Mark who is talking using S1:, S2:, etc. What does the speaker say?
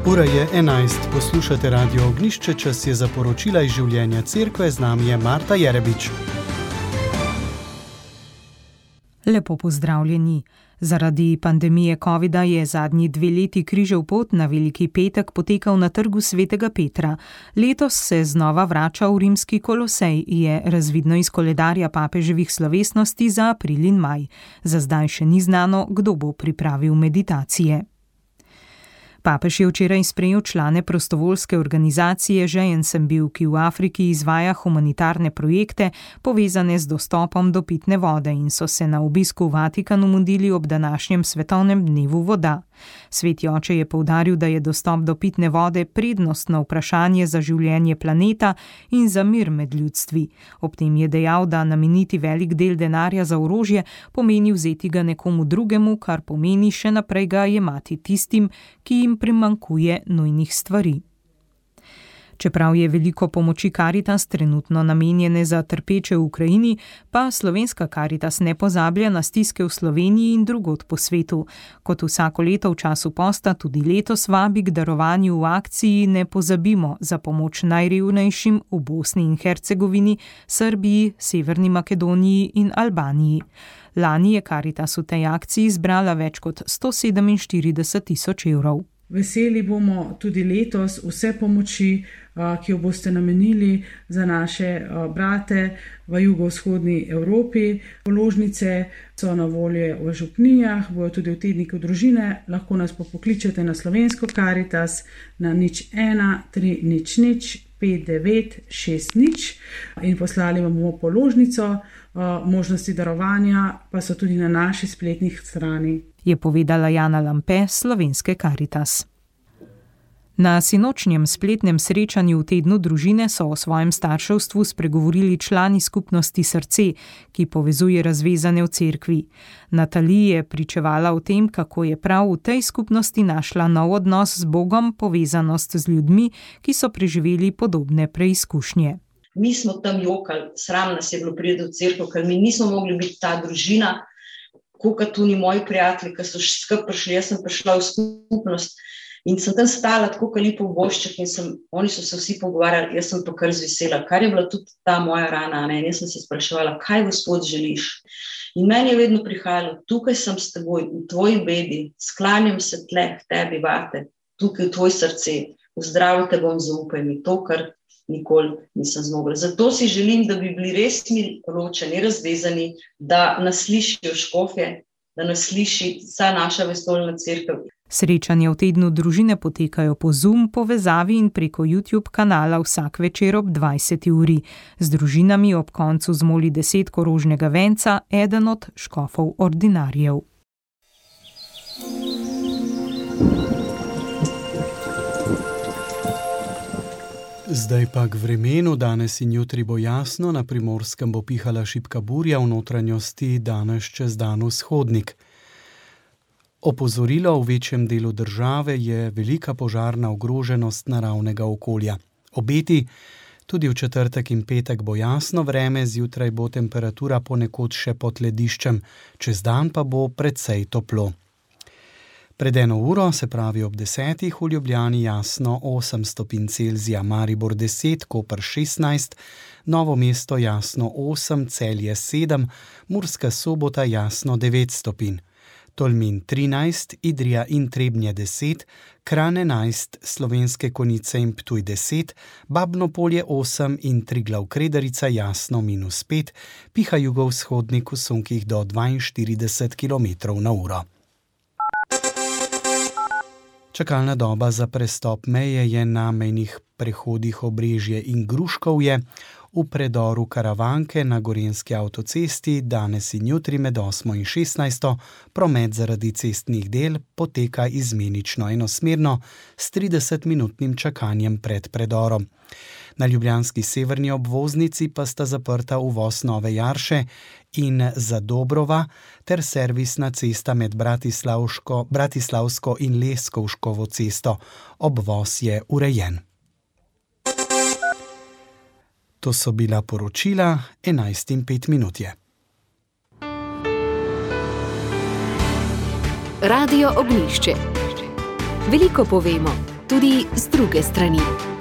S1: Ura je 11, poslušate Radio Ognjišče, čas je za poročila iz življenja cerkve, z nami je Marta Jerebič.
S2: Lepo pozdravljeni. Zaradi pandemije covida je zadnji 2 leti križev pot na Veliki petek potekal na trgu Svetega Petra. Letos se znova vrača v rimski Kolosej, je razvidno iz koledarja papeževih slovesnosti za april in maj. Za zdaj še ni znano, kdo bo pripravil meditacije. Papež je včeraj sprejel člane prostovoljske organizacije Žejen sem bil, ki v Afriki izvaja humanitarne projekte, povezane z dostopom do pitne vode, in so se na obisku v Vatikanu mudili ob današnjem svetovnem dnevu voda. Sveti oče je poudaril, da je dostop do pitne vode prednostno vprašanje za življenje planeta in za mir med ljudstvi. Ob tem je dejal, da nameniti velik del denarja za orožje pomeni vzeti ga nekomu drugemu, kar pomeni še naprej ga jemati tistim, ki jim primanjkuje nujnih stvari. Čeprav je veliko pomoči Karitas trenutno namenjene za trpeče v Ukrajini, pa slovenska Karitas ne pozablja na stiske v Sloveniji in drugod po svetu. Kot vsako leto v času posta, tudi letos vabi k darovanju v akciji Ne pozabimo za pomoč najrevnejšim v Bosni in Hercegovini, Srbiji, Severni Makedoniji in Albaniji. Lani je Karitas v tej akciji zbrala več kot 147.000 evrov.
S3: Veseli bomo tudi letos vse pomoči, ki jo boste namenili za naše brate v jugovzhodni Evropi. Položnice so na voljo v župnijah, bojo tudi v tedniku družine. Lahko nas pokličete na slovensko Karitas na 01 300 5960 in poslali vam bomo položnico. Možnosti darovanja pa so tudi na naši spletnih strani,
S2: je povedala Jana Lampe, slovenske Karitas. Na sinočnjem spletnem srečanju v tednu družine so o svojem starševstvu spregovorili člani skupnosti Srce, ki povezuje razvezane v cerkvi. Natalija je pričevala o tem, kako je prav v tej skupnosti našla nov odnos z Bogom, povezanost z ljudmi, ki so preživeli podobne preizkušnje.
S4: Mi smo tam jokali, sram nas je bilo priti v cerkev, ker mi nismo mogli biti ta družina, kot tudi moji prijatelji, ki so skupaj prišli. Jaz sem prišla v skupnost in sem tam stala tako lepo v goščah in oni so se vsi pogovarjali, jaz sem pa kar zvesela, kar je bila tudi ta moja rana, ne? In jaz sem se spraševala, kaj Gospod želiš. In meni je vedno prihajalo, tukaj sem s teboj, v tvoji bebi, sklanjam se tle k tebi, vate, tukaj v tvoj srce, v zdravje te bom, zaupaj mi to, kar nikoli nisem zmogla. Zato si želim, da bi bili res mi ločeni, razvezani, da nas slišijo škofje, da nas sliši vsa naša vestoljna cerkev.
S2: Srečanja v tednu družine potekajo po Zoom povezavi in preko YouTube kanala vsak večer ob 20. uri. Z družinami ob koncu zmoli 10 rožnega venca, eden od škofov ordinarjev.
S1: Zdaj pa k vremenu. Danes in jutri bo jasno, na Primorskem bo pihala šibka burja, v notranjosti danes čez dan vzhodnik. Opozorilo v večjem delu države je velika požarna ogroženost naravnega okolja. Obeti, tudi v četrtek in petek bo jasno vreme, zjutraj bo temperatura ponekod še pod lediščem, čez dan pa bo precej toplo. Pred 1 uro, se pravi ob 10. v Ljubljani jasno 8 stopinj Celzija, Maribor 10, Koper 16, Novo mesto jasno 8, Celje 7, Murska Sobota jasno 9 stopinj, Tolmin 13, Idrija in Trebnje 10, Kranj 11, Slovenske Konjice in Ptuj 10, Babno Polje 8 in Triglav Kredarica jasno -5, piha jugovzhodnik v sunkih do 42 km/h. Čakalna doba za prestop meje je na mejnih prehodih Obrežje in Gruškovje, v predoru Karavanke na Gorenjski avtocesti danes in jutri med 8 in 16. promet zaradi cestnih del poteka izmenično enosmerno s 30-minutnim čakanjem pred predorom. Na ljubljanski severni obvoznici pa sta zaprta uvoz Nove Jarše in Zadobrova ter servisna cesta med Bratislavsko in Leskovškovo cesto. Obvoz je urejen. To so bila poročila, 11:05 je.
S5: Radio Ognjišče. Veliko povemo. tudi z druge strani.